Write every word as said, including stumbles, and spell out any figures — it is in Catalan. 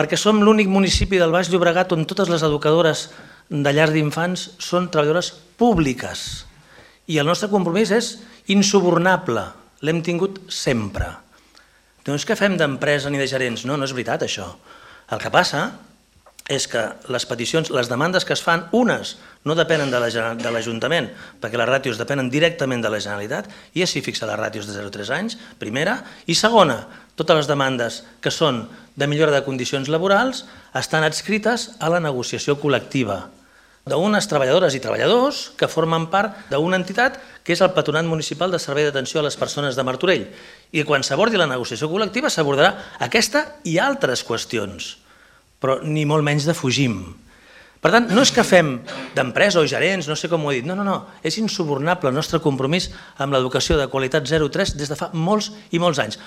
perquè som l'únic municipi del Baix Llobregat on totes les educadores de llars d'infants són treballadores públiques. I el nostre compromís és insubornable, l'hem tingut sempre. No és que fem d'empresa ni de gerents, no, no és veritat això. El que passa és que les peticions, les demandes que es fan, unes no depenen de l'Ajuntament, perquè les ràtios depenen directament de la Generalitat, i així fixa les ràtios de zero a tres anys, primera, i segona, totes les demandes que són de millora de condicions laborals estan adscrites a la negociació col·lectiva d'unes treballadores i treballadors que formen part d'una entitat que és el Patronat Municipal de Servei d'Atenció a les Persones de Martorell. I quan s'abordi la negociació col·lectiva s'abordarà aquesta i altres qüestions, però ni molt menys defugim. Per tant, no és que fem d'empresa o gerents, no sé com ho he dit, no, no, no, és insubornable el nostre compromís amb l'educació de qualitat zero a tres des de fa molts i molts anys.